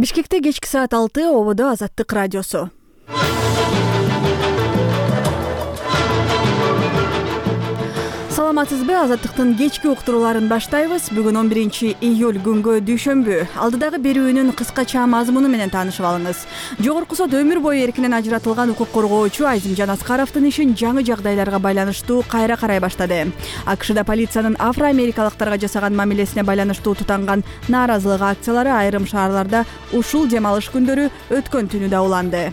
Бишкекте кечки саат 6 ободо Азаттык радиосу. Саламатсызбы? Азаттыктын кечки уктурууларын баштайбыз. Бүгүн 11-июль күнгө дүйшөмбү. Алдыдагы берүүнүн кыскача мазмуну менен таанышып алыңыз. Жогорку сот өмүр бою эркинен ажыратылган укук коргоочу Азимжан Аскаровдун ишин жаңы жагдайларга байланыштуу кайра карай баштады. АКШда полициянын афро-америкалыктарга жасаган мамилесине байланыштуу тутанган нааразылык акциялары айрым шаарларда ушул дем алыш күндөрү өткөн түнү да уланды.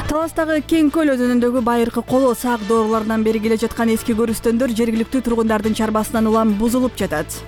Таластагы Кең көл өзүнүндөгү байыркы коло сак доорулардан бери келе жаткан эски көрүстөндөр жергиликтүү тургундардын чарбасынан улам бузулуп жатат.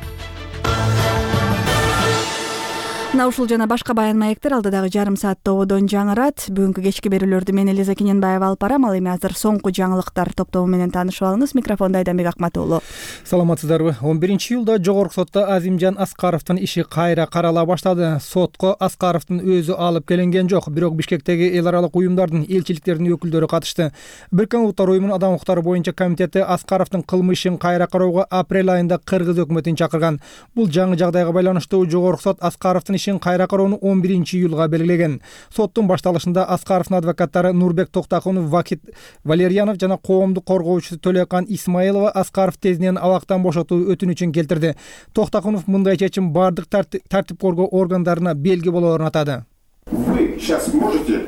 Мына ушул жана башка баян маектер алдыдагы жарым саатта ободон жаңырат. Бүгүнкү кечки берүүлөрдү мен Элиза Кененбаева алып барам. Ал эми азыр соңку жаңылыктар топтому менен таанышып алыңыз. Микрофондо Айданбек Акматуулу. Саламатсыздарбы? 11-июлда Жогорку сотто Азимжан Аскаровдун иши кайра карала баштады. Сотко Аскаровдун өзү алып келинген жок, бирок Бишкектеги эл аралык уюмдардын, элчиликтердин өкүлдөрү катышты. Бириккен Улуттар уюмунун адам укуктары боюнча комитети Аскаровдун кылмышын кайра кароого апрель айында Кыргыз өкмөтүн чакырган. Бул жаңы жагдайга байланыштуу Жогорку сот Аскаровдун ишин кайра кароону 11-июлга белгилеген. Соттун башталышында Аскаровдун адвокаттары Нурбек Токтакунов, Вакит Валерьянов жана коомдук коргоочусу Төлөкан Исмаилова Аскаров тезинен абактан бошотуу өтүнүчүн келтирди. Токтакунов мындай чечим бардык тартип коргоо органдарына белги болоорун атады. Вы сейчас можете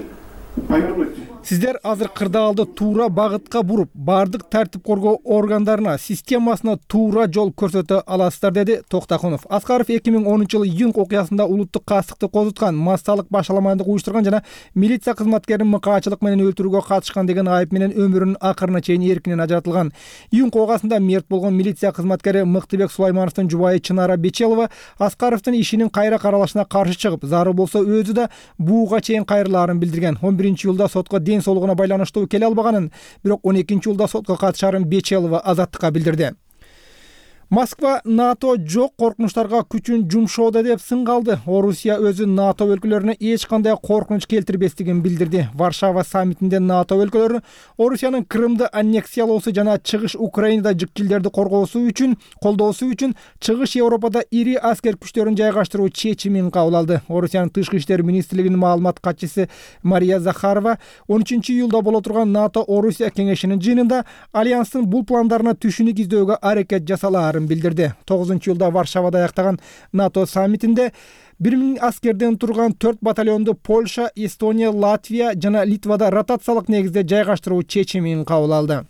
повернуть? Сиздер азыр кырдаалды туура багытка буруп, бардык тартип коргоо органдарына, системасына туура жол көрсөтө аласыздар, деди Токтакунов. Аскаров 2010-жылы июнь окуясында улуттук кастыкты козуткан, массалык башаламандык уюштурган жана милиция кызматкерин мыкаачылык менен өлтүрүүгө катышкан деген айып менен өмүрүнүн акырына чейин эркинен ажыратылган. Июнь окуясында мерт болгон милиция кызматкери Мыктыбек Сулаймановдун жубайы Чынара Бечелова Аскаровдун ишинин кайра каралышына каршы чыгып, зарыл болсо өзү да буга чейин кайрылаарын билдирген. 11-июлда сотко ден соолугуна байланыштуу келе албаганын, бирок 12-июлда сотко катышаарын Бечелова Азаттыкка билдирди. Москва НАТО жок коркунучтарга күчүн жумшоодо деп сынгалды. Орусия өзү НАТО өлкөлөрүнө эч кандай коркунуч келтирбестигин билдирди. Варшава саммитинде НАТО өлкөлөрү Орусиянын Крымды аннексиялоосу жана чыгыш Украинада жикчилдерди колдоосу үчүн чыгыш Европада ири аскер күчтөрүн жайгаштыруу чечимин кабыл алды. Орусиянын тышкы иштер министрлигинин маалымат катчысы Мария Захарова 13-июлда боло турган НАТО Орусия кеңешинин жыйынында альянстын бул пландарына түшүнүк издөөгө аракет жасалаарын билдирди. 9-июлда Варшавада аяктаган НАТО саммитинде 1000 аскерден турган 4 батальонду Польша, Эстония, Латвия жана Литвада ротациялык негизде жайгаштыруу чечимин кабыл алды.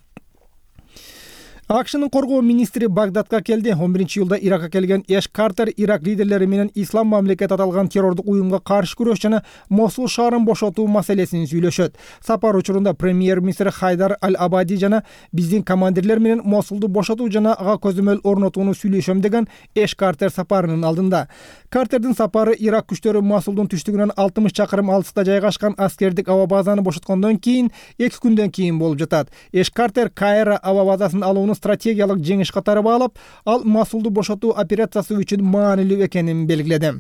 АКШнын коргоо министри Багдадка келди. 11-июлда Иракка келген Эш Картер Ирак лидерлери менен ислам мамлекети аталган террордук уюмга каршы күрөш жана Мосул шаарын бошотуу маселесин сүйлөшөт. Сапар учурунда премьер-министр Хайдар Аль-Абади жана биздин командирлер менен Мосулду бошотуу жана ага көзөмөл орнотууну сүйлөшөм деген Эш Картер сапарынын алдында. Картердин сапары Ирак күчтөрү Мосулдун түштүгүнөн 60 чакырым алыста жайгашкан аскердик аба базаны бошоткондон кийин 2 күндөн кийин болуп жатат. Эш Картер Кайра аба базасын алууну стратегиялык жеңиш катары баалап, ал Мосулду бошотуу операциясы үчүн маанилүү экенин белгиледи.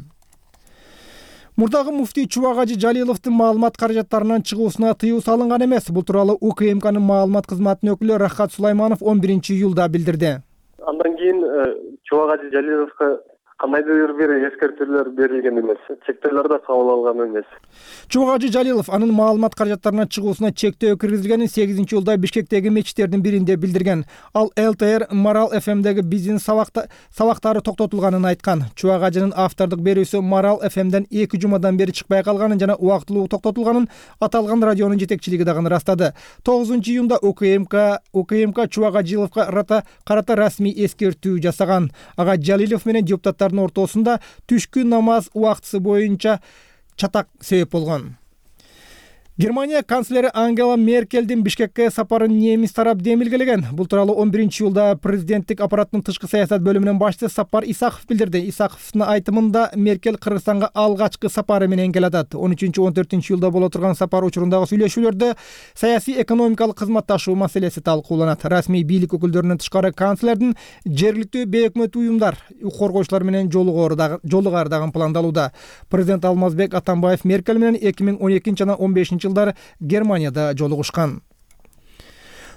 Мурдагы муфтий Чубак Жалиловдун маалымат каражаттарынан чыгуусуна тыюу салынган эмес. Бул тууралуу УКМКнын маалымат кызматынын өкүлү Рахат Сулайманов 11-июлда билдирди. Андан кийин Чубак Жалиловго кандайдыр бир эскертүүлөр берилген эмес, чектөөлөр да кабыл алган эмес. Чубак Жалилов анын маалымат каражаттарынан чыгуусуна чектөө киргизилгенин 8-июлда Бишкектеги мечиттердин биринде билдирген. Ал ЛТР Марал ФМдеги биздин сабактары токтотулганын айткан. Чубак Ажынын автордук берүүсү Марал ФМден 2 жумадан бери чыкпай калганын жана убактылуу токтотулганын аталган радионун жетекчилиги дагы ырастады. 9-июнда УКМК Чубак Жалиловго карата расмий эскертүү жасаган. Ага Жалилов менен депутаттар ортосунда түшкү намаз убактысы боюнча чатак себеп болгон. Германия канцлери Ангела Меркелдин Бишкекке сапарын немис тарап демилгелеген. Бул тууралуу 11-июлда президенттик аппараттын тышкы саясат бөлүмүнүн башчысы Сапар Исаков билдирди. Исаковдун айтымында Меркель Кыргызстанга алгачкы сапары менен келатат. 13-14-июлда боло турган сапар учурундагы сүйлөшүүлөрдө саясий экономикалык кызматташуу маселеси талкууланат. Расмий бийлик өкүлдөрүнөн тышкары канцлердин жергиликтүү бейөкмөт уюмдар, коргоочулар менен жолугары дагы пландалууда. Президент Алмазбек Атамбаев Меркель менен 2012 жана 15 жылдары Германияда жолугушкан.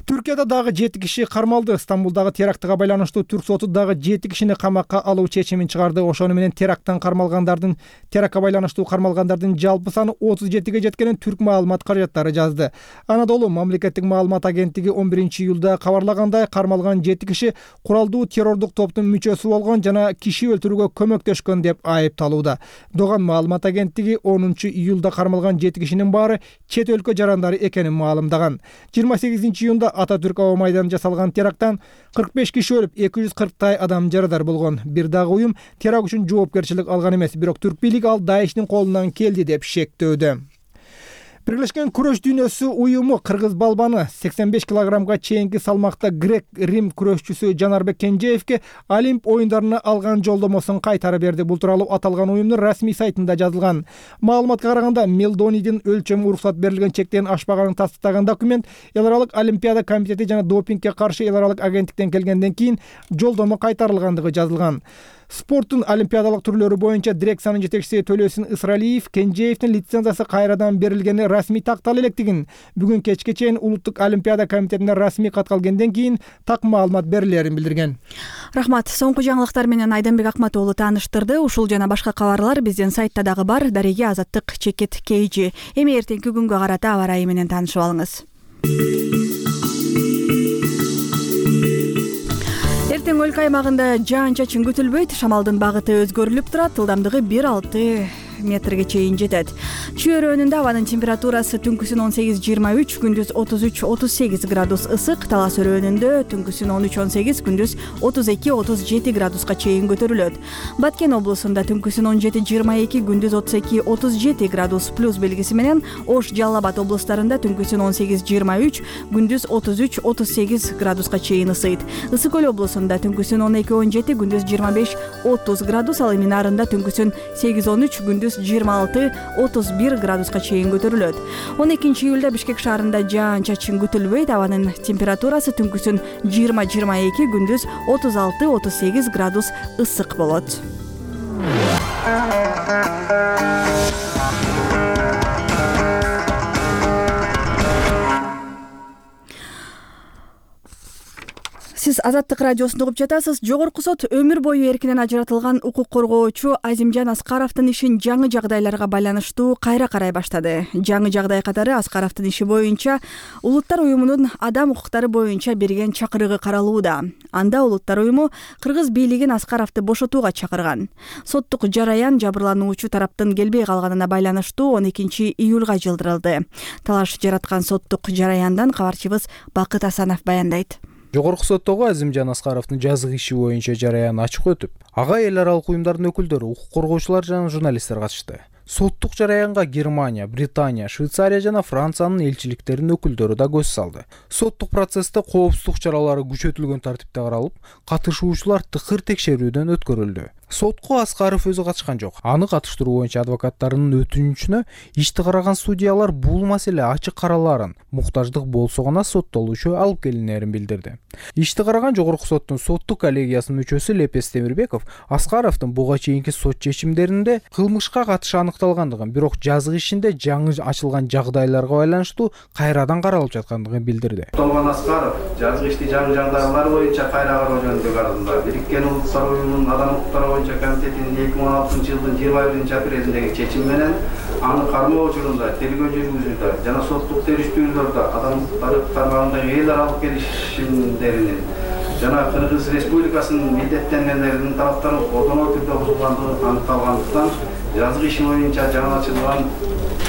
Түркияда дагы 7 киши кармалды. Стамбулдагы терактыга байланыштуу түрк соту дагы 7 кишини камакка алуу чечимин чыгарды. Ошону менен терактка байланыштуу кармалгандардын жалпы саны 37-ге жеткенин түрк маалымат каражаттары жазды. Анадолу мамлекеттик маалымат агенттиги 11-июлда кабарлагандай, кармалган 7 киши куралдуу террордук топтун мүчөсү болгон жана киши өлтүрүүгө көмөктөшкөн деп айыпталууда. Доган маалымат агенттиги 10-июлда кармалган 7 кишинин баары чет өлкө жарандары экенин маалымдаган. 28-июнда Ататүрк аба майданында жасалган теракттан 45 киши өлүп, 240 адам жарадар болгон. Бир дагы уюм теракт үчүн жоопкерчилик алган эмес, бирок түрк бийлиги ал Даиштин колунан келди деп шектөөдө. Бирлешкен күрөш дүйнөсү уюму кыргыз балбаны 85 килограммга чейинки салмакта грек-рим күрөшчүсү Жанарбек Кенжеевке Олимп оюндарына алган жолдомосун кайтарып берди. Бул тууралуу аталган уюмдун расмий сайтында жазылган. Маалыматка караганда, Мелдонидин өлчөмү уруксат берилген чектен ашпаганын тастыктаган документ Эл аралык Олимпиада комитети жана допингге каршы эл аралык агенттиктен келгенден кийин жолдомо кайтарылгандыгы жазылган. Спорттун олимпиадалык түрлөрү боюнча дирекциянын жетекчиси Төлөсүн Ысыралиев Кенжеевдин лицензиясы кайрадан берилгени расмий тактала электигин, бүгүн кечке чейин Улуттук олимпиада комитетине расмий кат келгенден кийин так маалымат берилерин билдирген. Рахмат. Соңку жаңылыктар менен Айданбек Акмат уулу тааныштырды. Ушул жана башка кабарлар биздин сайтта дагы бар. Дареге Азаттык Чекит KG. Эми эртеңки күнгө карата аба ырайы менен таанышып алыңыз. Эртең өлкө аймагында жаан-чачын күтүлбөйт, шамалдын багыты өзгөрүлүп турат, ылдамдыгы 1,6 метрге чейин жетет. Чүй районунда абанын температурасы түнкүсүн 18-23, күндүз 33-38 градус ысык, Талас районунда түнкүсүн 13-18, күндүз 32-37 градуска чейин көтөрүлөт. Баткен облусунда түнкүсүн 17-22, күндүз 32-37 градус плюс белгиси менен, Ош, Жалал Абад облустарында түнкүсүн 18-23, күндүз 33-38 градуска чейин ысыйт. Ысык Көл облусунда түнкүсүн 12-17, күндүз 25-30 градус, ал эми нарында түнкүсүн 8-13, күндүз 26-31 градуска чейин көтөрүлөт. 12-июлда Бишкек шаарында жаан-чачын күтүлбөйт, абанын температурасы түнкүсүн 20-22, күндүз 36-38 градус ысык болот. Сиз Азаттык радиосунда угуп жатасыз. Жогорку сот өмүр бою эркинен ажыратылган укук коргоочу Азимжан Аскаровдун ишин жаңы жагдайларга байланыштуу кайра карай баштады. Жаңы жагдай катары Аскаровдун иши боюнча Улуттар уюмунун адам укуктары боюнча берген чакырыгы каралууда. Анда Улуттар уюму кыргыз бийлигин Аскаровду бошотууга чакырган. Соттук жараян жабырлануучу тараптын келбей калганына байланыштуу 12-июлга жылдырылды. Талаш жараткан соттук жараяндан кабарчыбыз Бакыт Асанов баяндайт. Жогорку соттогу Азимжан Аскаровдун жазык иши боюнча жараян ачык өтүп, ага эл аралык уюмдардын өкүлдөрү, укук коргоочулар жана журналисттер катышты. Соттук жараянга Германия, Британия, Швейцария жана Франциянын элчиликтеринин өкүлдөрү да көз салды. Соттук процессте коопсуздук чаралары күчөтүлгөн тартипте каралып, катышуучулар тыкыр текшерүүдөн өткөрүлдү. Сотко Аскаров өзү катышкан жок. Аны катыштыруу боюнча адвокаттарынын өтүнүчүнө ишти караган судьялар бул маселе ачык караларын, муктаждык болсо гана соттолуучу алып келинерин билдирди. Ишти караган жогорку соттун соттук коллегиясынын мүчөсү Лепес Темирбеков Аскаровдун буга чейинки сот чечимдеринде кылмышка катышы аныкталгандыгын, бирок жазык ишинде жаңы ачылган жагдайларга байланыштуу кайрадан каралып жаткандыгын билдирди. Аскаров жазык ишти жаңы жагдайлар боюнча кайра кароо жөнүндө каралды. Бириккен Улуттар уюмунун адам укуктары комитетинин 2016-жылдын 21-апрелиндеги чечими менен аны кармоо учурунда тергөө жүргүзүүдө жана соттук териштүүлөрдө адам укуктары тармагындагы эл аралык келишимдеринин жана Кыргыз Республикасынын милдеттенгендеринин талаптарын одоно түрдө бузулгандыгы аныкталгандыктан жазык иши боюнча жаңы ачылган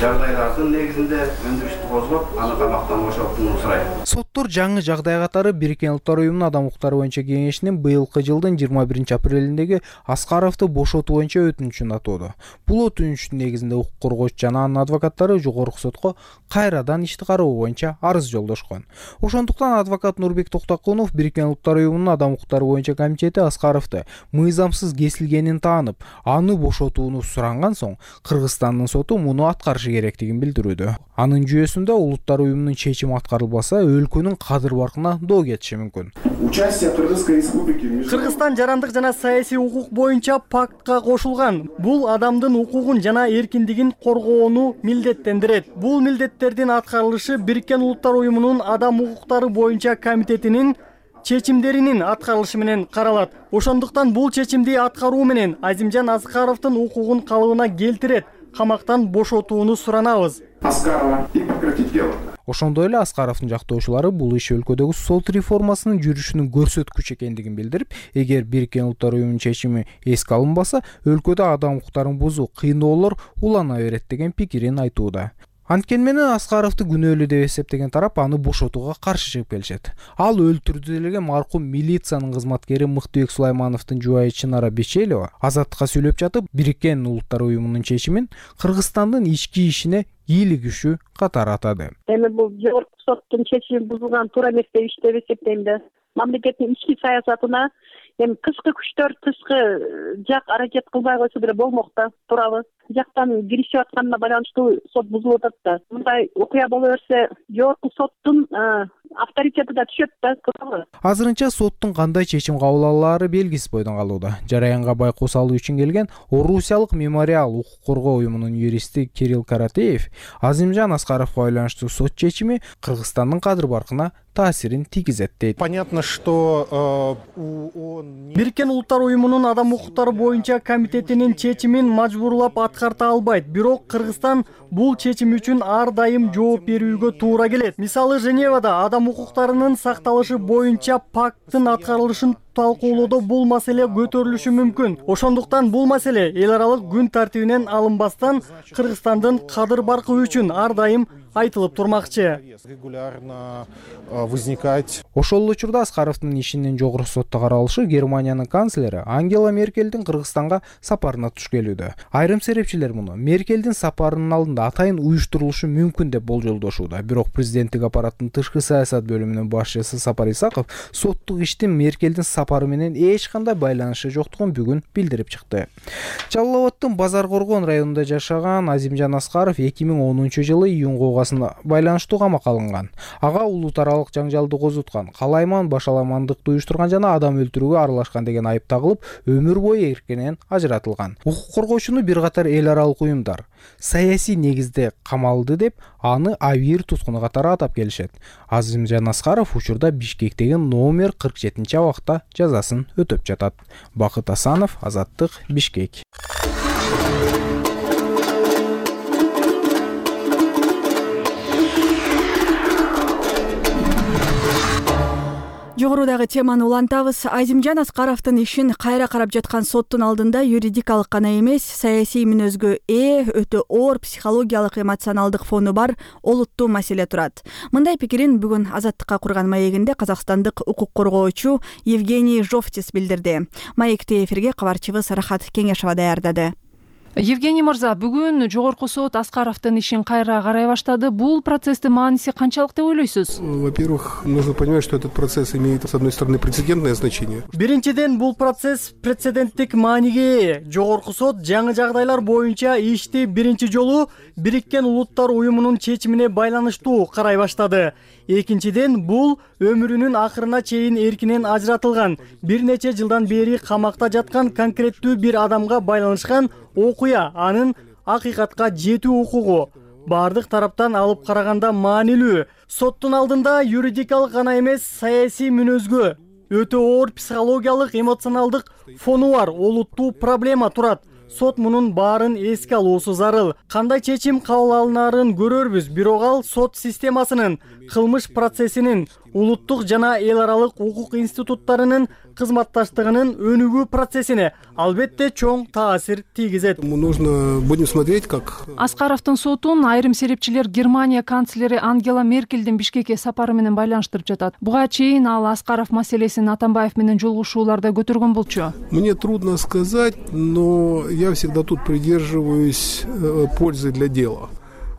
жагдайлардын негизинде өндүрүштү козгоп, аны камактан бошотууну сурайт. Соттор жаңы жагдай катары Бириккен Улуттар уюмунун адам укуктары боюнча кеңешинин быйылкы жылдын 21-апрелиндеги Аскаровду бошотуу боюнча өтүнүчүн атоодо. Бул өтүнүчтүн негизинде укук коргоочу жана анын адвокаттары жогорку сотко кайрадан ишти кароо боюнча арыз жолдошкон. Ошондуктан адвокат Нурбек Токтокунов Бириккен Улуттар уюмунун адам укуктары боюнча комитети Аскаровду мыйзамсыз кесилгенин таанып, аны бошотууну суранган соң, Кыргызстандын соту муну аткарышы керектигин билдирүүдө. Анын жүйөсүндө улуттар уюмунун чечими аткарылбаса, өлкөнүн кадыр баркына доо кетиши мүмкүн. Участие Кыргызской республики. Кыргызстан жарандык жана саясий укук боюнча пактка кошулган. Бул адамдын укугун жана эркиндигин коргоону милдеттендирет. Бул милдеттердин аткарылышы Бириккен Улуттар уюмунун адам укуктары боюнча комитетинин чечимдеринин аткарылышы менен каралат. Ошондуктан бул чечимди аткаруу менен Азимжан Аскаровдун укугун калыбына келтирет, камактан бошотууну суранабыз. Аскарова и прекратить дело. Ошондой эле Аскаровдун жактоочулары бул иш өлкөдөгү сот реформасынын жүрүшүнүн көрсөткүчү экендигин билдирип, эгер Бириккен Улуттар уюмунун чечими эске алынбаса, өлкөдө адам укуктарын бузуу кыйноолор улана берет деген пикирин айтууда. Анткени менен Аскаровду күнөөлүү деп эсептеген тарап аны бошотууга каршы чыгып келишет. Ал өлтүрдү деген маркум милициянын кызматкери Мыктыбек Сулаймановдун жубайы Чынара Бечелова Азаттыкка сүйлөп жатып, Бириккен Улуттар уюмунун чечимин Кыргызстандын ички ишине ийгилигүшү катары атады. Эми бул жогорку соттун чечими бузулган туура эмес деп эсептейм да. Мамлекеттин ички саясатына эми тышкы күчтөр тышкы жак аракет кылбай койсо деле болмок да, туурабы? Жактан киришип атканына байланыштуу сот бузулуп атат да. Мындай окуя боло берсе, жогорку соттун авторитети да түшөт да, туурабы? Азырынча соттун кандай чечим кабыл алаары белгисиз бойдон калууда. Жараянга байкоо салуу үчүн келген Орусиялык мемориал укук коргоо уюмунун юристи Кирилл Каратеев Азимжан Аскаровго байланыштуу сот чечими Кыргызстандын кадыр баркына таасирин тийгизет дейт. Понятно, что Бириккен Улуттар уюмунун адам укуктары боюнча комитетинин чечимин мажбурлап аткарта албайт. Бирок Кыргызстан бул чечим үчүн ар дайым жооп берүүгө туура келет. Мисалы, Женевада адам укуктарынын сакталышы боюнча пакттын аткарылышын талкуулоодо бул маселе көтөрүлүшү мүмкүн. Ошондуктан бул маселе эл аралык күн тартибинен алынбастан Кыргызстандын кадыр баркы үчүн ар дайым айтылып турмакчы. Регулярно возникать. Ошол учурда Аскаровдун ишинин жогорку сотто каралышы Германиянын канцлери Ангела Меркельдин Кыргызстанга сапарына туш келүүдө. Айрым серепчилер муну Меркельдин сапарынын алдында атайын уюштурулушу мүмкүн деп болжолдошууда. Бирок президенттик аппараттын тышкы саясат бөлүмүнүн башчысы Сапар Исаков соттук иштин Меркельдин сапары менен эч кандай байланышы жоктугун бүгүн билдирип чыкты. Жалал Абадтын Базар Коргон районунда жашаган Азимжан Аскаров 2010-жылы июнга байланыштуу камакка алынган. Ага улут аралык жаңжалды козуткан, калайман башаламандыкты уюштурган жана адам өлтүрүүгө аралашкан деген айып тагылып, өмүр бою эркинен ажыратылган. Укук коргоочуну бир катар эл аралык уюмдар саясий негизде камалды деп, аны авир туткуну катары атап келишет. Азимжан Аскаров учурда Бишкектеги номер 47 абакта жазасын өтөп жатат. Бакыт Асанов, Азаттык, Бишкек. Жогорудагы теманы улантабыз. Азимжан Аскаровдун ишин кайра карап жаткан соттун алдында юридикалык гана эмес, саясий мүнөзгө өтө оор психологиялык эмоционалдык фону бар олуттуу маселе турат. Мындай пикирин бүгүн Азаттыкка курган маегинде казакстандык укук коргоочу Евгений Жовтис билдирди. Маекти эфирге кабарчыбыз Рахат Кеңешова даярдады. Евгений мырза, бүгүн жогорку сот Аскаровдун ишин кайра карай баштады. Бул процесстин мааниси канчалык деп ойлойсуз? Во-первых, нужно понимать, что этот процесс имеет, с одной стороны, прецедентное значение. Биринчиден, бул процесс прецеденттик мааниге ээ. Жогорку сот жаңы жагдайлар боюнча ишти биринчи жолу Бириккен Улуттар уюмунун чечимине байланыштуу карай баштады. Экинчиден, бул өмүрүнүн акырына чейин эркинен ажыратылган, бир нече жылдан бери камакта жаткан конкреттүү бир адамга байланышкан окуя, анын акыйкатка жетүү укугу бардык тараптан алып караганда маанилүү. Соттун алдында юридикалык гана эмес, саясий мүнөзгө, өтө оор психологиялык, эмоционалдык фону бар олуттуу проблема турат. Сот мунун баарын эске алуусу зарыл. Кандай чечим кабыл алынаарын көрөрбүз, бирок ал сот системасынын, кылмыш процессинин, улуттук жана эл аралык укук институттарынын кызматташтыгынын өнүгүү процессине албетте чоң таасир тийгизет. Нужно будем смотреть, как Аскаровдун сотун айрым серепчилер Германия канцлери Ангела Меркельдин Бишкекке сапары менен байланыштырып жатат. Буга чейин ал Аскаров маселесин Атамбаев менен жолугушууларда көтөргөн болчу. Мне трудно сказать, но я всегда тут придерживаюсь пользы для дела.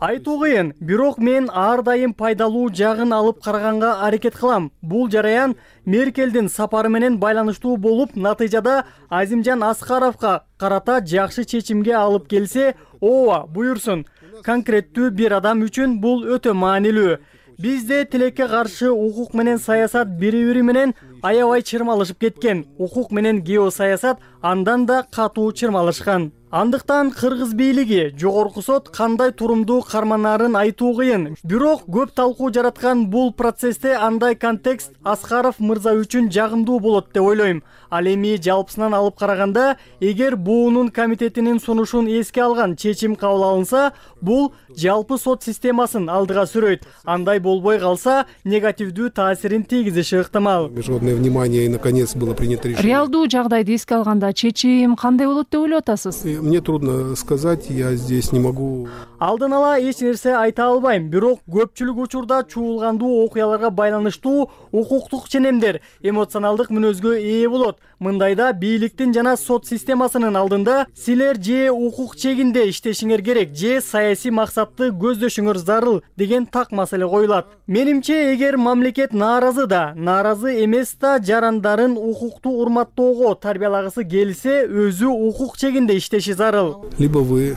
Айтуу кыйын, бирок мен ар дайым пайдалуу жагын алып караганга аракет кылам. Бул жараян Меркельдин сапары менен байланыштуу болуп, натыйжада Азимжан Аскаровго карата жакшы чечимге алып келсе, ооба, буйрсун. конкреттүү бир адам үчүн бул өтө маанилүү. Бизде тилекке каршы укук менен саясат бири-бири менен аябай чырмалышып кеткен. Укук менен геосаясат андан да катуу чырмалышкан. Андыктан кыргыз бийлиги, жогорку сот кандай турумдуу карманарын айтуу кыйын. Бирок көп талкуу жараткан бул процессте андай контекст Аскаров мырза үчүн жагымдуу болот деп ойлойм. Ал эми жалпысынан алып караганда, эгер буунун комитетинин сунушун эске алган чечим кабыл алынса, бул жалпы сот системасын алдыга сүрөйт. Андай болбой калса, негативдүү таасирин тийгизиши ыктымал. Международное внимание и наконец было принято решение. Реалдуу жагдайды эске алганда чечим кандай болот деп ойлоп атасыз? Мне трудно сказать, я здесь не могу. Алдын ала эч нерсе айта албайм, бирок көпчүлүк учурда чуулгандуу окуяларга байланыштуу укуктук ченемдер эмоционалдык мүнөзгө ээ болот. Мындайда бийликтин жана сот системасынын алдында силер же укук чегинде иштешиңер керек, же саясий максатты көздөшүңөр зарыл деген так маселе коюлат. Менимче, эгер мамлекет нааразы да, нааразы эмес да жарандарын укукту урматтоого тарбиялагысы келсе, өзү укук чегинде иштеши зарыл. Либо вы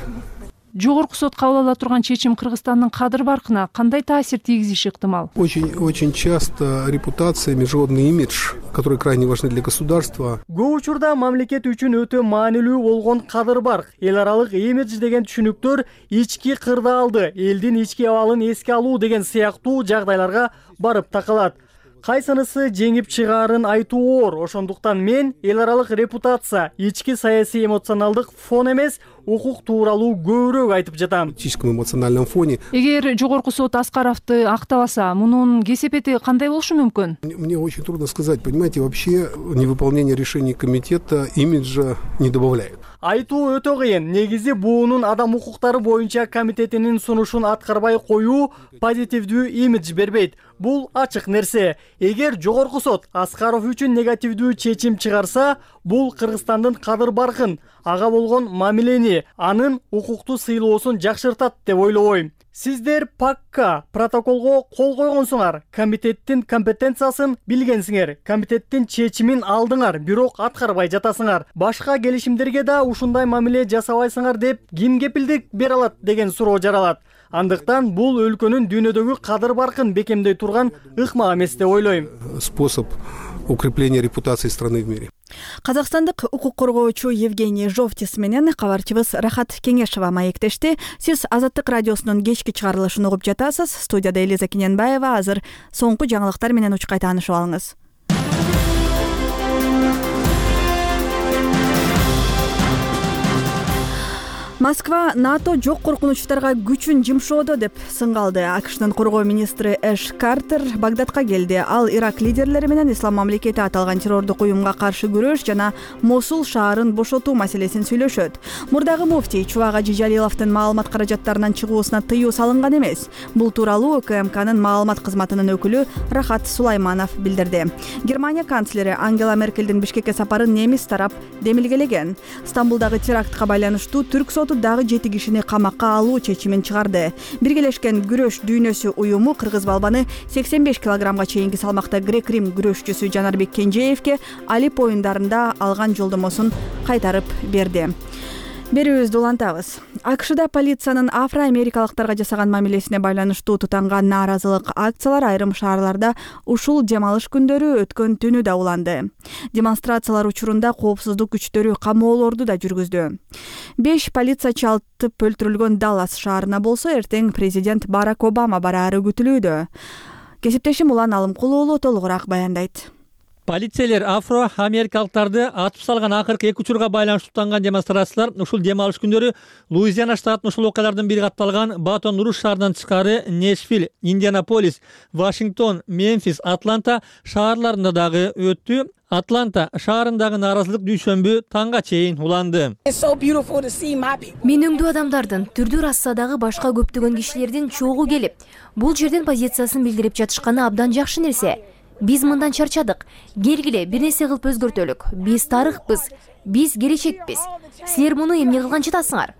Жогорку сот кабыл ала турган чечим Кыргызстандын кадыр баркына кандай таасир тийгизиши ыктымал? Очень часто репутация, международный имидж, которые крайне важны для государства. Көп учурда мамлекет үчүн өтө маанилүү болгон кадыр барк, эл аралык имидж деген түшүнүктөр ички кырдаалды, элдин ички абалын эске алуу деген сыяктуу жагдайларга барып такалат. Кайсынысы жеңип чыгаарын айтуу оор. Ошондуктан мен эл аралык репутация, ички саясий эмоционалдык фон эмес, укук тууралуу көбүрөөк айтып жатам. Политическом эмоциональном фоне. Эгер жогорку сот Аскаровду актабаса, мунун кесепети кандай болушу мүмкүн? Мне очень трудно сказать, понимаете, вообще невыполнение решений комитета имиджа не добавляет. Айтуу өтө кыйын. Негизи буунун адам укуктары боюнча комитетинин сунушун аткарбай коюу позитивдүү имидж бербейт. Бул ачык нерсе. Эгер жогорку сот Аскаров үчүн негативдүү чечим чыгарса, бул Кыргызстандын кадыр баркын, ага болгон мамилени, анын укуктуу сыйлоосун жакшыртат деп ойлобойм. Сиздер пакка протоколго кол койгонсуңар, комитеттин компетенциясын билгенсиңер, комитеттин чечимин алдыңар, бирок аткарбай жатасыңар. Башка келишимдерге да ушундай мамиле жасабайсыңар деп ким кепилдик бере алат деген суроо жаралат. Андыктан бул өлкөнүн дүйнөдөгү кадыр баркын бекемдей турган ыкма эмес деп ойлойм. Способ укрепления репутации страны в мире. Казакстандык укук коргоочу Евгений Жовтис менен кабарчыбыз Рахат Кеңешова маектешти. Сиз Азаттык радиосунун кечки чыгарылышын угуп жатасыз. Студияда Элиза Кененбаева. Азыр соңку жаңылыктар менен учкай таанышып алыңыз. Москва НАТО жок коркунучтарга күчүн жымшоодо деп сынгалды. АКШнын коргоо министри Эш Картер Багдадка келди. Ал Ирак лидерлери менен Ислам мамлекети аталган террордук уюмга каршы күрөш жана Мосул шаарын бошотуу маселесин сүйлөшөт. Мурдагы муфтий Чубак Ажи Жалиловдун маалымат каражаттарынан чыгуусуна тыюу салынган эмес. Бул тууралуу УКМКнын маалымат кызматынын өкүлү Рахат Сулайманов билдирди. Германия канцлери Ангела Меркелдин Бишкекке сапарын немис тарап демилгелеген. Стамбулдагы терактка байланыштуу түрк соты дагы 7 кишини камакка алуу чечимин чыгарды. Биргелешкен күрөш дүйнөсү уюму кыргыз балбаны 85 килограммга чейинки салмакта грек-рим күрөшчүсү Жанарбек Кенжеевке Алип оюндарында алган жолдомосун кайтарып берди. Берүүбүздү улантабыз. АКШда полициянын афро-америкалыктарга жасаган мамилесине байланыштуу тутанган нааразылык акциялар айрым шаарларда ушул дем алыш күндөрү өткөн түнү да уланды. Демонстрациялар учурунда коопсуздук күчтөрү камоолорду да жүргүздү. 5 полициячы алтып өлтүрүлгөн Даллас шаарына болсо эртең президент Барак Обама бараары күтүлүүдө. Кесиптешим Улан Алымкулуу толугураак баяндайт. Полицейлер афро-америкалыктарды атып салган акыркы 2 учурга байланыштуу тутанган демонстрациялар ушул дем алыш күндөрү Луизиана штатынын ушул окуялардын бири катталган Батон-Руж шаарынан тышкары Нэшвилл, Индианаполис, Вашингтон, Мемфис, Атланта шаарларында дагы өттү. Атланта шаарындагы нааразылык дүйшөмбү таңга чейин уланды. Менүңдүү адамдардын, түрдүү рассадагы башка көптөгөн кишилердин чогуу келип, бул жерден позициясын билдирип жатышканы абдан жакшы нерсе. Биз мындан чарчадык. Келгиле, бир нерсе кылып өзгөртөлүк. Биз тарыхпыз, биз келечекпиз. Силер муну эмне кылган жатасыңар?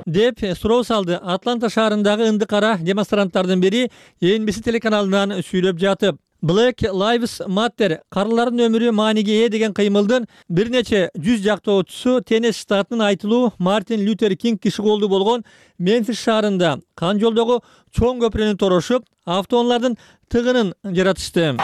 Деп суроо салды Атланта шаарындагы ынды кара демонстранттардын бири NBC телеканалынан сүйлөп жатып. Black Lives Matter карылардын өмүрү мааниге ээ деген кыймылдын бир нече жүз жактоочусу Теннесси штатынын айтылуу Мартин Лютер Кинг киши колду болгон Мемфис шаарында кан жолдогу чоң көпүрөнү торошуп, автоунаалардын тыгынын жаратышты.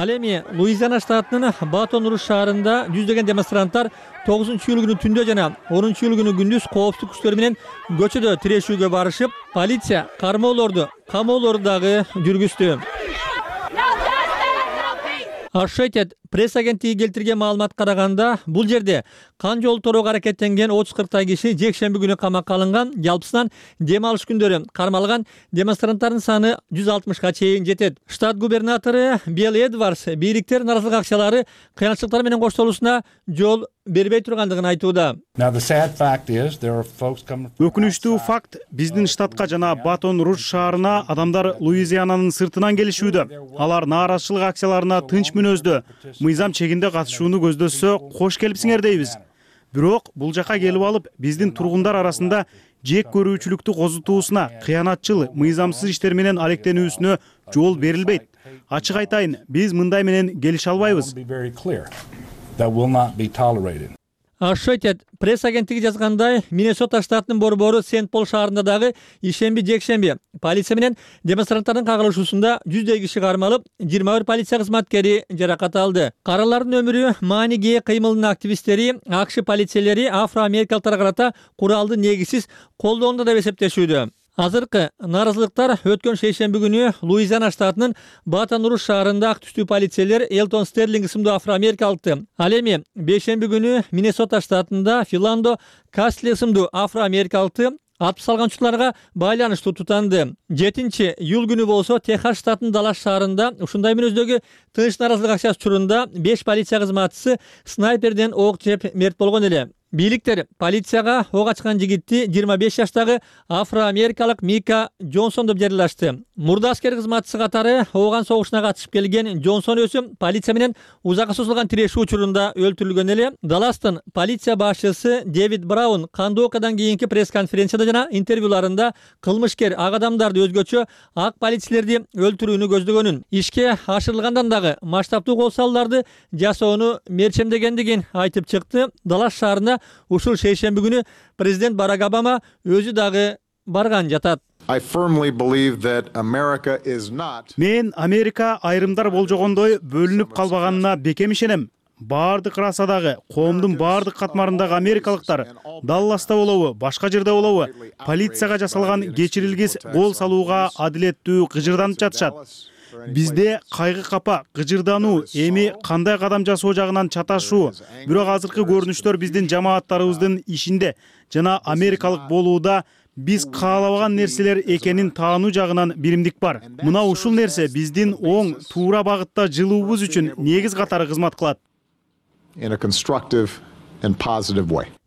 Ал эми Луизиана штатынын Батон Руж шаарында жүздөгөн демонстранттар 9-июль күнү түндө жана 10-июль күнү күндүз коопсуздук күчтөрү менен көчөдө тирешүүгө барышып, полиция кармоолорду, камоолорду дагы жүргүздү. Associated пресс агенттиги келтирген маалыматка караганда, бул жерде кан жол торого аракеттенген 30-40 киши жекшемби күнү камакка алынган, жалпысынан дем алыш күндөрү кармалган демонстранттардын саны 160га чейин жетет. Штат губернатору Билл Эдвардс бийликтер нааразылык акчалары кыянчылыктар менен коштолуусуна жол бербей тургандыгын айтууда. Өкүнүчтүү факт, биздин штатка жана Батон Руж шаарына адамдар Луизиананын сыртынан келишүүдө. Алар нааразычылык акцияларына тынч мүнөздө, мыйзам чегинде катышууну көздөсө, кош келипсиңер дейбиз. Бирок бул жака келип алып, биздин тургундар арасында жек көрүүчүлүктү козутуусуна, кыянатчыл, мыйзамсыз иштер менен алектенүүсүнө жол берилбейт. Ачык айтайын, биз мындай менен келише албайбыз. Associated пресс агенттиги жазгандай, Миннесота штатынын борбору Сент-Пол шаарында дагы ишемби жекшемби полиция менен демонстранттардын кагылышуусунда 100 киши кармалып, 21 полиция кызматкери жаракат алды. Каралардын өмүрү мааниге ээ кыймылдын активисттери, АКШ полициялери афро-америкалыктарга карата куралды негизсиз колдоону деп эсептешүүдө. Азыркы нааразылыктар өткөн шейшемби күнү Луизиана штатынын Батон Руж шаарында ак түстүү полициялер Элтон Стерлинг исимдүү афро-америкалыкты, ал эми бейшемби күнү Миннесота штатында Филандо Кастли исимдүү афро-америкалыкты атып салганчыларга байланыштуу тутанды. 7-июль күнү болсо Техас штатынын Даллас шаарында ушундай мүнөздөгү тыныч нааразылык акчасы учурунда 5 полиция кызматчысы снайперден ок жеп мерт болгон эле. Бийликтер полицияга ок ачкан жигитти 25 жаштагы афро-америкалык Мика Джонсон деп жарыялашты. Мурда аскер кызматчысы катары ооган согушуна катышып келген Джонсон өзү полиция менен узакка созулган тирешүү учурунда өлтүрүлгөн эле. Далластын полиция башчысы Дэвид Браун кандуу окуядан кийинки пресс-конференцияда жана интервьюларында кылмышкер ак адамдарды өзгөчө ак полицейлерди өлтүрүүнү көздөгөнүн, ишке ашырылгандан дагы масштабдуу кол салууларды жасоону мерчемдегендигин айтып чыкты. Даллас шаарына ушул шейшемби күнү президент Барак Обама өзү дагы барган жатат. Мен Америка айрымдар болжогондой бөлүнүп калбаганына бекем ишенем. Бардык расадагы, коомдун бардык катмарындагы америкалыктар, Далласта болобу, башка жерде болобу, полицияга жасалган кечирилгис кол салууга адилеттүү кыжырданып жатышат. Бизде кайгы капа, кыжырдануу, эми кандай кадам жасоо жагынан чаташуу, бирок азыркы көрүнүштөр биздин жамааттарыбыздын ишинде жана америкалык болууда биз каалабаган нерселер экенин таануу жагынан биримдик бар. Мына ушул нерсе биздин оң, туура багытта жылуубуз үчүн негиз катары кызмат кылат.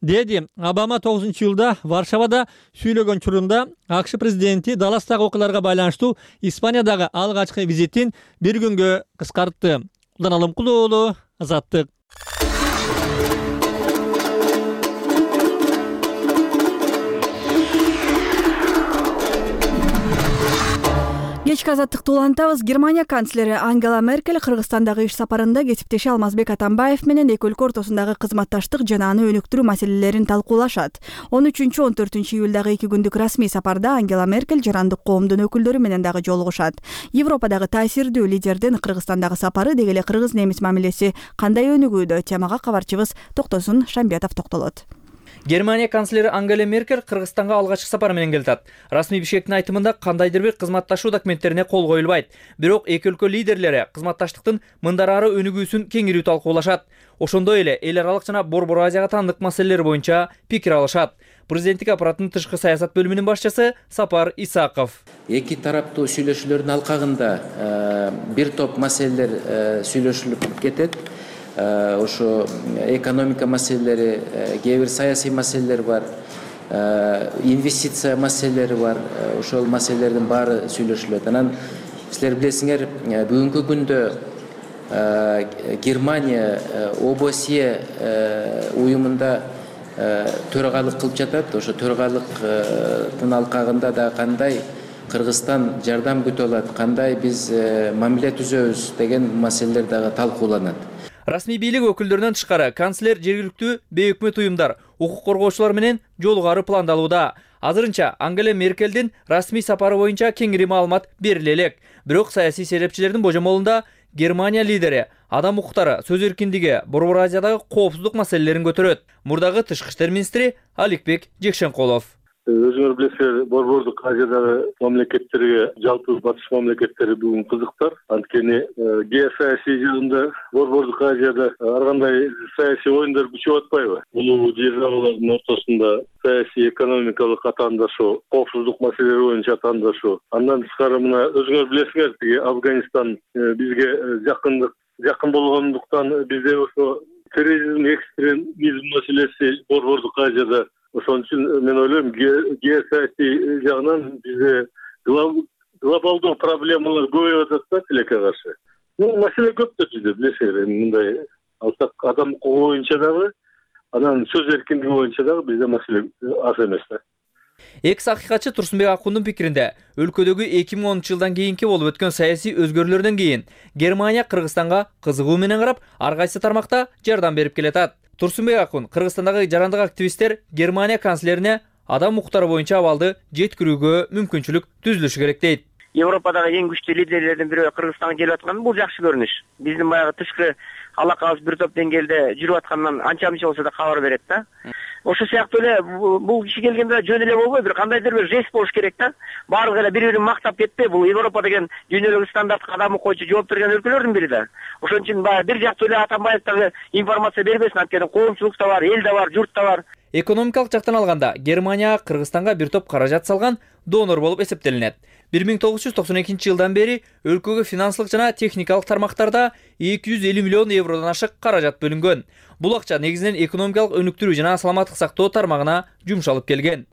Деди Обама 9-июлда Варшавада сүйлөгөн чурунда АКШ президенти Далластагы окуяларга байланыштуу Испаниядагы алгачкы визитин бир күнгө кыскартты. Улан Алымкулуу уулу, Азаттык. Кечки азаттыкты улантабыз. Германия канцлери Ангела Меркель Кыргызстандагы иш сапарында кесиптеши Алмазбек Атамбаев менен эки өлкө ортосундагы кызматташтык жана аны өнүктүрүү маселелерин талкуулашат. 13-14 июлдагы 2 күндүк расмий сапарда Ангела Меркель жарандык коомдун өкүлдөрү менен дагы жолугушат. Европадагы таасирдүү лидердин Кыргызстандагы сапары деги эле кыргыз-немис мамилеси кандай өнүгүүдө? Темага кабарчыбыз Токтосун Шамбиятов токтолот. Германия канцлери Ангела Меркель Кыргызстанга алгачкы сапар менен келатат. Расмий Бишкектин айтымында кандайдыр бир кызматташуу документтерине кол коюлбайт. Бирок эки өлкө лидерлери кызматташтыктын мындан ары өнүгүүсүн кеңирүү талкуулашат. Ошондой эле эл аралык жана Борбор Азияга таандык маселелер боюнча пикир алышат. Президенттик аппараттын тышкы саясат бөлүмүнүн башчысы Сапар Исаков. Эки тараптуу сүйлөшүүлөрдүн алкагында бир топ маселелер сүйлөшүлүп кетет. Ошо экономика маселелери, кээ бир саясий маселелер бар, инвестиция маселелери бар. Ошол маселелердин баары сүйлөшүлөт. Анан силер билесиңер, бүгүнкү күндө Германия ОБСЕ уюмунда төрагайлык кылып жатат. Ошо төрагайлыктын алкагында да кандай Кыргызстан жардам күтүп алат, кандай биз мамиле түзөбүз деген маселелер дагы талкууланат. Расмий бийлик өкүлдөрүнөн тышкары канцлер жергиликтүү бейөкмөт уюмдар, укук коргоочулар менен жолугары пландалууда. Азырынча Ангела Меркелдин расмий сапары боюнча кеңири маалымат бериле элек. Бирок саясий серепчилердин божомолунда Германия лидери адам укуктары, сөз эркиндиги, Борбор Азиядагы коопсуздук маселелерин көтөрөт. Мурдагы тышкы иштер министри Аликбек Жекшенкулов. Өзүңөр билесиңер, Борбордук Азиядагы мамлекеттерге, жалпы батыш мамлекеттери бүгүн кызыктар. Анткени геосаясий жагында Борбордук Азияда ар кандай саясий оюндар күчөп атпайбы? Улуу державалардын ортосунда саясий экономикалык атаандашуу, коопсуздук маселелери боюнча атаандашуу. Андан тышкары мына өзүңөр билесиңер, тиги Афганистан бизге жакын болгондуктан бизде ошо терроризм, экстремизм маселеси Борбордук Азияда. Ошон үчүн мен ойлойм, геосаясий жагынан бизде глобалдуу проблемалар көбөйүп атат да тилекке каршы. Маселе көп да бизде, билесиңер, мындай алсак адам укугу боюнча дагы, анан сөз эркиндиги боюнча дагы бизде маселе аз эмес да. Экс акыйкатчы Турсунбек Акундун пикиринде, өлкөдөгү 2010-жылдан кийинки болуп өткөн саясий өзгөрүүлөрдөн кийин Германия Кыргызстанга кызыгуу менен карап, ар кайсы тармакта жардам берип келатат. Турсунбек Акун Кыргызстандагы жарандык активисттер Германия канцлерине адам укуктары боюнча абалды жеткирүүгө мүмкүнчүлүк түзүлүшү керек дейт. Европадагы эң күчтүү лидерлердин бири Кыргызстанга келип атканы бул жакшы көрүнүш. Биздин баягы тышкы алакабыз бир топ деңгээлде жүрүп аткандан анча-мынча болсо да кабар берет да. Ошол сыяктуу эле бул киши келгенде жөн эле болбой, бир кандайдыр бир жест болуш керек да. Баардыгы эле бири-бирин мактап кетпей, бул Европа деген дүйнөлүк стандартка кадам койчу жооп берген өлкөлөрдүн бири да. Ошон үчүн баягы бир жактуу эле Атамбаев дагы информация бербесин, анткени коомчулук да бар, эл да бар, журт да бар. Экономикалык жактан алганда Германия Кыргызстанга бир топ каражат салган донор болуп эсептелинет. 1992-жылдан бери өлкөгө финансылык жана техникалык тармактарда 250 миллион евродон ашык каражат бөлүнгөн. Бул акча негизинен экономикалык өнүктүрүү жана саламаттык сактоо тармагына жумшалып келген.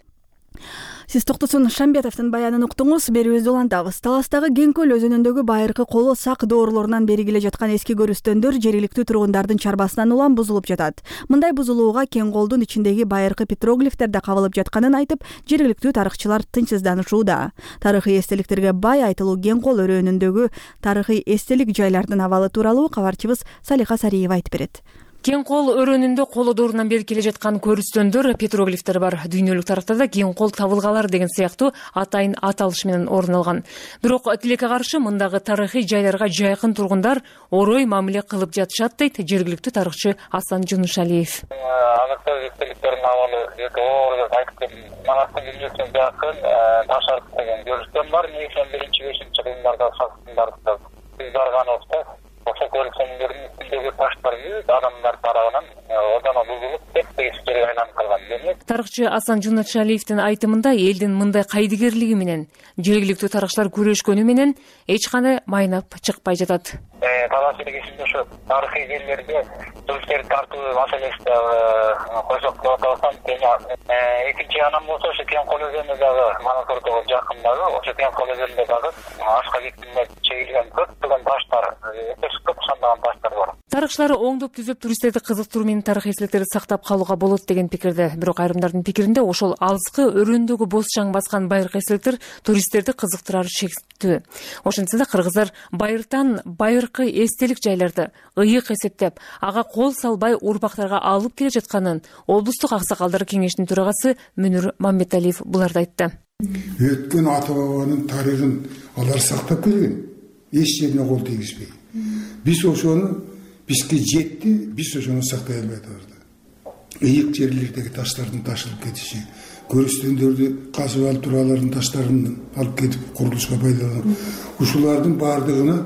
Сиз Токтосун Шамбетовдун баянын уктуңуз, берүүбүздү улантабыз. Таластагы Кеңкөл өзүнүндөгү байыркы коло сак доорлорунан бери келе жаткан эски көрүстөндөр жергиликтүү тургундардын чарбасынан улам бузулуп жатат. Мындай бузулууга Кеңколдун ичиндеги байыркы петроглифтер да кабылып жатканын айтып, жергиликтүү тарыхчылар тынчсызданышууда. Тарыхый эстеликтерге бай айтылуу Кеңкол өрөөнүндөгү тарыхый эстелик жайлардын абалы тууралуу кабарчыбыз Салиха Сариева айтып берет. Кеңкол өрөөнүндө коло доорунан бери келе жаткан көрүстөндөр, петроглифтер бар. Дүйнөлүк тарыхтарда Кеңкол табылгалар деген сыяктуу атайын аталыш менен орун алган. Бирок тилекке каршы мындагы тарыхый жайларга жайкын тургундар орой мамиле кылып жатышат дейт жергиликтүү тарыхчы Асан Жунушалиев. Аныктай эстеликтердин абалы оор деп айтып кетти. Манастын билүүсүн жакын Ташарк деген көрүстөн бар. 5-5 кылымдарда сакталган. Биз барганыбызда ошо көрүнүштердин үстүндөгү таштар адамдар тарабынан одоно бузулуп тепе-тешикке айланып калган. Тарыхчы Асан Жунушалиевдин айтымында элдин мындай кайдыгерлиги менен жергиликтүү тарыхчылар күрөшкөнү менен эч кандай майнап чыкпай жатат. Талаш элегисинде ошо тарыхый жерлерде туристтерди тартуу маселеси койсок деп атсам, экинчи анан болсо ошо Кеңкол өзөнүнө дагы Манас ортого жакындагы ошо Кеңкол өзөнүндө дагы ашка бекитине чегилген көптөгөн таштар, көп сандаган таштар бар. Тарыхчылар оңдоп түзөп туристтерди кызыктыруу менен тарыхый эстеликтерди сактап калууга болот деген пикирде. Бирок айрымдардын пикиринде ошол алыскы өрөөндөгү боз чаң баскан байыркы эстеликтер туристтерди кызыктырары шектүү. Ошентсе да кыргыздар байыртан байыркы эстелик жайларды ыйык эсептеп, ага кол салбай урпактарга алып келе жатканын облустук аксакалдар кеңешинин төрагасы Мүнүр Мамбеталиев буларда айтты. Өткөн ата бабанын тарыхын алар сактап келген, эч жерине кол тийгизбей. Биз ошону бизге жетти, биз ошону сактай албай атабыз. Ыйык жерлердеги таштардын ташылып кетиши, көрүстөндөрдү казып алып туралардын таштарын алып кетип курулушка пайдаланып, ушулардын баардыгына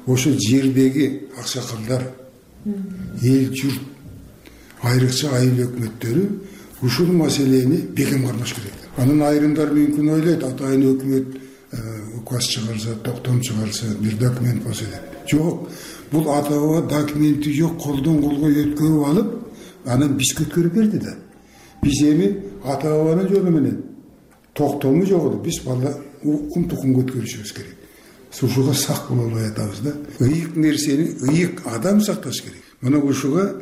ошо жердеги аксакалдар, эл журт, айрыкча айыл өкмөттөрү ушул маселени бекем кармаш керек. Анын айрымдар мүмкүн ойлойт, атайын өкмөт указ чыгарса, токтом чыгарса, бир документ болсо деп. Жок, бул ата баба документи жок, колдон колго өткөрүп алып, анан бизге өткөрүп берди да. Биз эми ата бабанын жолу менен токтому жок, биз бала укум тукумга өткөрүшүбүз керек. Ушуга сак боло албай атабыз да. Ыйык нерсени ыйык адам сакташ керек. Мына ушуга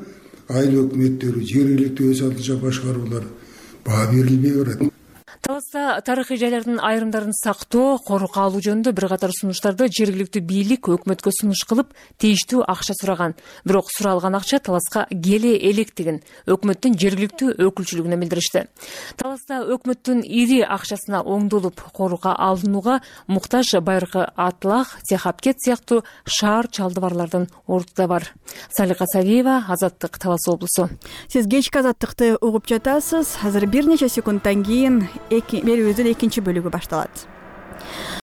айыл өкмөттөрү, жергиликтүү өз алдынча башкаруулар баа берилбей барат. Таласта тарыхый жайлардын айрымдарын сактоо, корукка алуу жөнүндө бир катар сунуштарды жергиликтүү бийлик өкмөткө сунуш кылып, тийиштүү акча сураган. Бирок суралган акча Таласка келе электигин өкмөттүн жергиликтүү өкүлчүлүгүнө билдиришти. Таласта өкмөттүн ири акчасына оңдолуп корукка алынууга муктаж байыркы Атлах, Техапкет сыяктуу шаар чалдыбарлардын орду да бар. Салика Савиева, Азаттык, Талас облусу. Сиз кечки Азаттыкты угуп жатасыз. Азыр бир нече секундтан кийин берүүбүздүн экинчи бөлүгү башталат.